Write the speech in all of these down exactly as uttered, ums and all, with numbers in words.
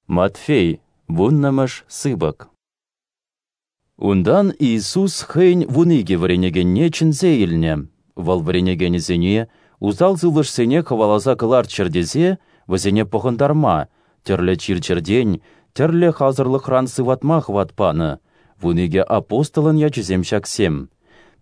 Матфей, вуннӑмӗш сыпӑк. Унтан Иисус хӑйӗн вун икӗ вӗренекенне чӗнсе илнӗ. Вӑл вӗренекенӗсене усал сывлӑшсене хӑваласа кӑларччӑр тесе вӗсене пӑхӑнтарма, тӗрлӗ чир-чӗртен, тӗрлӗ халсӑрлӑхран сыватма хӑват панӑ. Вун икӗ апостолӑн ячӗсем ҫаксем: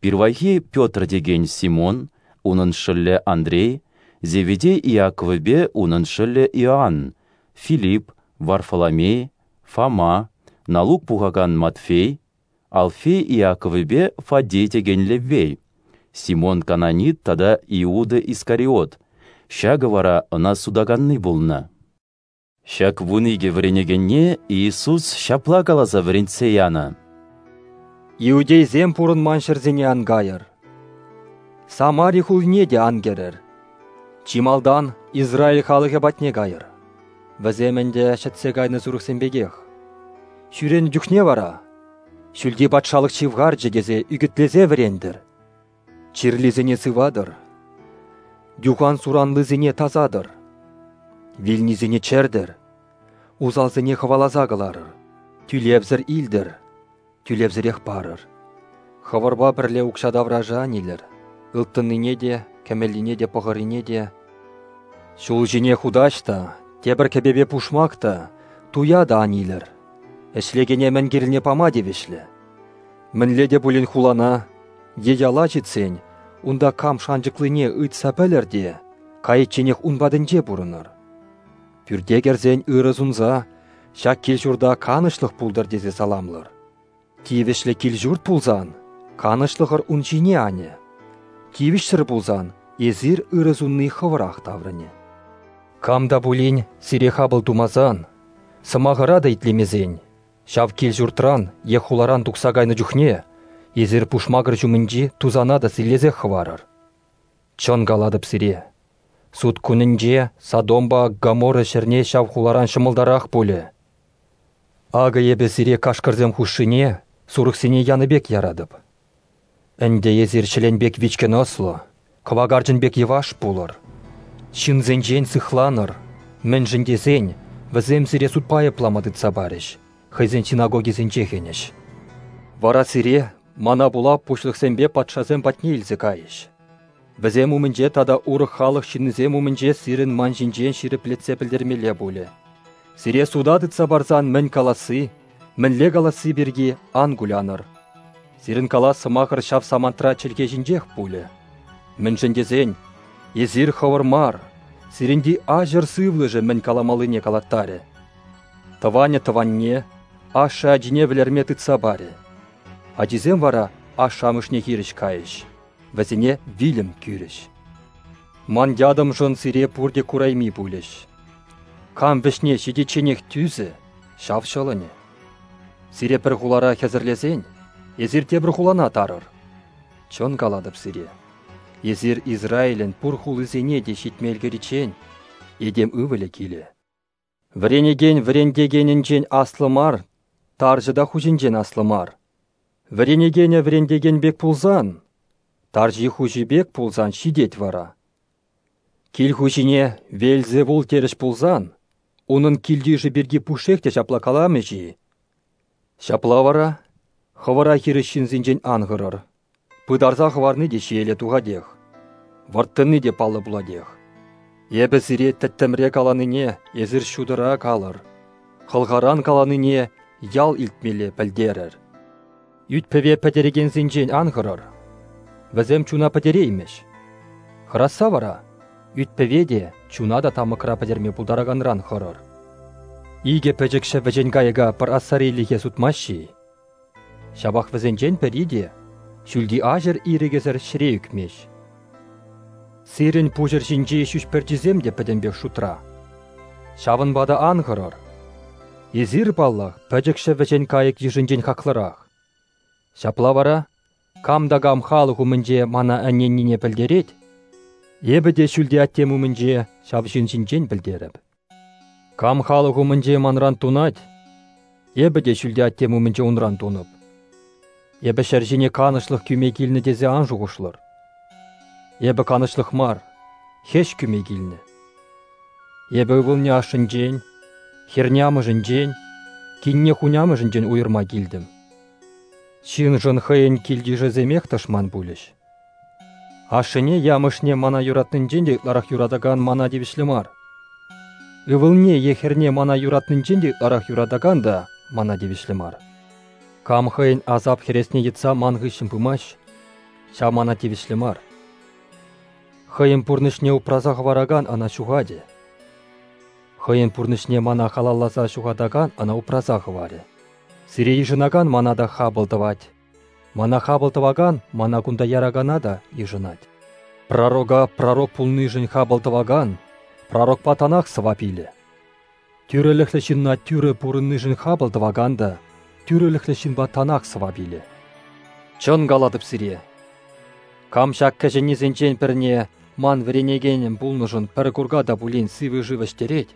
пирвайхи Петр текен Симон, унӑн шӑллӗ Андрей, Зеведей Иаковӗпе унӑн шӑллӗ Иоанн, Филипп, Варфоломей, Фома, налук пухакан Матфей, Алфей Иаковӗпе Фаддей текен Леввей, Симон Кананит тата Иуда Искариот, ҫакӑ вара ӑна сутаканни пулнӑ. Ҫак вун икӗ вӗренекенне Иисус ҫапла каласа вӗрентсе янӑ: Иудейсем пурӑнман ҫӗрсене ан кайӑр, Самари хулине те ан кӗрӗр. Чи малтан Израиль халӑхӗ патне кайӑр. Вӗсем ӗнтӗ ҫӗтсе кайнӑ сурӑхсем пекех. Ҫӳренӗ чухне вара Ҫӳлти патшалӑх ҫывхарчӗ тесе ӳкӗтлесе вӗрентӗр. Чирлисене сыватӑр, юхан суранлисене тасатӑр, вилнисене чӗртӗр, усалсене хӑваласа кӑларӑр, тӳлевсӗр илтӗр, тӳлевсӗрех парӑр. Хӑвӑрпа пӗрле укҫа таврашӗ ан илӗр, ылтӑннине те, кӗмӗллине те, пӑхӑррине те. Ҫул ҫине хутаҫ та, тепӗр кӗпепе пушмак та, туя та ан илӗр. Ӗҫлекене мӗн кирлине пама тивӗҫлӗ. Мӗнле те пулин хулана е яла ҫитсен, унта кам шанчӑклине ыйтса пӗлӗр те, кайичченех ун патӗнче пурӑнӑр. Пӳрте кӗрсен ырӑ сунса, ҫак кил-ҫурта канӑҫлӑх пултӑр тесе саламлӑр. Тивӗҫлӗ кил-ҫурт пулсан, канӑҫлӑхӑр ун ҫине анӗ. Тивӗҫсӗр пулсан, эсир ырӑ сунни хӑвӑрах таврӑнӗ. Кам та пулин сире хапӑл тумасан, сӑмахӑра та итлемесен, ҫав кил-ҫуртран е хуларан тухса кайнӑ чухне эсир пушмакӑр ҫумӗнчи тусана та силлесех хӑварӑр. Чӑн калатӑп сире, суд кунӗнче Содомпа Гоморра ҫӗрне ҫав хуларан ҫӑмӑлтарах пулӗ. Акӑ эпӗ сире кашкӑрсем хушшине сурӑхсене янӑ пек яратӑп. Ӗнтӗ эсир ҫӗлен пек вичкӗн ӑслӑ, кӑвакарчӑн пек йӑваш пулӑр. Ҫынсенчен сыхланӑр, мӗншӗн тесен вӗсем сире судпа айӑплама тытса парӗҫ, хӑйсен синагогисенче хӗнӗҫ. Вара сире мана пула пуҫлӑхсемпе патшасем патне илсе кайӗҫ. Вӗсем умӗнче тата урӑх халӑх ҫыннисем умӗнче сирӗн ман ҫинчен ҫирӗплетсе пӗлтермелле пулӗ. Сире суда тытса парсан мӗн каласси, мӗнле каласси пирки ан кулянӑр. Сирӗн калас сӑмахӑр ҫав самантра чӗлхе ҫинчех пулӗ. Мӗншӗн тесен эсир хӑвӑр мар, сирӗнти аҫӑр сывлӑшӗ мӗн каламаллине калаттарӗ. Тӑванӗ тӑванне, ашшӗ ачине вӗлерме тытса парӗ. Ачисем вара ашшӗ-амӑшне хирӗҫ кайӗҫ, вӗсене вилӗм кӳрӗҫ. Ман ятӑмшӑн сире пурте курайми пулӗҫ. Кам вӗҫне ҫитичченех тӳсӗ, ҫав ҫӑлӑнӗ. Сире пӗр хулара хӗсӗрлесен, эсир тепӗр хулана тарӑр. Чӑн калатӑп сире, эсир Израилӗн пур хулисене те ҫитме ӗлкӗриччен этем ывӑлӗ килӗ. Вӗренекен вӗрентекенӗнчен аслӑ мар, тарҫӑ та хуҫинчен аслӑ мар. Вӗренекенӗ вӗрентекен пек пулсан, тарҫи хуҫи пек пулсан ҫитет вара. Кил хуҫине Веельзевул терӗҫ пулсан, унӑн кил-йышӗ пирки пушшех те ҫапла каламӗҫ-и? Ҫапла вара хӑвӑра хирӗҫ ҫынсенчен ан хӑрӑр. Пытарса хӑварни те ҫиеле тухатех, вӑрттӑнни те паллӑ пулатех. Эпӗ сире тӗттӗмре каланине эсир ҫутӑра калӑр, хӑлхаран каланине ял илтмелле пӗлтерӗр. Ӳт-пӗве пӗтерекенсенчен ан хӑрӑр, вӗсем чуна пӗтереймӗҫ. Хӑрасса вара ӳт-пӗве те, чуна та тамӑкра пӗтерме пултараканран хӑрӑр. Икӗ пӗчӗкҫӗ вӗҫен кайӑка пӗр ассарилӗхе сутмаҫҫӗ-и? Ҫапах вӗсенчен пӗри те ҫӳлти аҫӑр ирӗкӗсӗр ҫӗре ӳкмест. Сирӗн пуҫӑр ҫинчи ҫӳҫ пӗрчисем те пӗтӗмпех шутра. Ҫавӑнпа та ан хӑрӑр. Эсир, паллах, пӗчӗкҫӗ вӗҫен кайӑк йышӗнчен хаклӑрах. Ҫапла вара, кам та кам халӑх умӗнче мана ӗненнине пӗлтерет, эпӗ те ҫӳлти аттем умӗнче ҫав ҫын ҫинчен пӗлтерӗп. Кам халӑх умӗнче манран тунать, эпӗ те ҫӳлти аттем умӗнче унран тунӑп. Эпӗ ҫӗр ҫине канӑҫлӑх кӳме килнӗ тесе ан шухӑшлӑр. Эпӗ канӑҫлӑх мар, хӗҫ кӳме килнӗ. Эпӗ ывӑлне ашшӗнчен, Хӗрне амӑшӗнчен, кинне хунямӑшӗнчен уйӑрма килтӗм. Ҫыншӑн хӑйӗн кил-йышӗсемех тӑшман пулӗҫ. Ашшӗне е амӑшне мана юратнинчен те ытларах юратакан мана тивӗҫлӗ мар. Ывӑлне е хӗрне мана юратнинчен те ытларах юратакан та мана тивӗҫлӗ мар. Кам хӑйӗн асап хӗресне йӑтса ман хыҫҫӑн пымасть, ҫав мана тивӗҫлӗ мар. Хӑйӗн пурнӑҫне упраса хӑваракан ӑна ҫухатӗ. Хӑйӗн пурнӑҫне мана халалласа ҫухатакан ӑна упраса хӑварӗ. Сире йышӑнакан мана та хапӑл тӑвать. Мана хапӑл тӑвакан мана кунта яракана та йышӑнать. Пророка пророк пулнишӗн хапӑл тӑвакан пророкпа танах сӑвап илӗ. Тӳрӗлӗхлӗ ҫынна тӳрӗ пурӑннишӗн хапӑл тӑвакан та тӳрӗлӗхлӗ ҫынпа танах сӑвап илӗ. Чӑн калатӑп сире, кам ҫак кӗҫӗннисенчен пӗрне ман вӗренекенӗм пулнӑшӑн пӗр курка та пулин сивӗ шыв ӗҫтерет,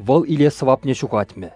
вӑл илес сӑвапне ҫухатмӗ.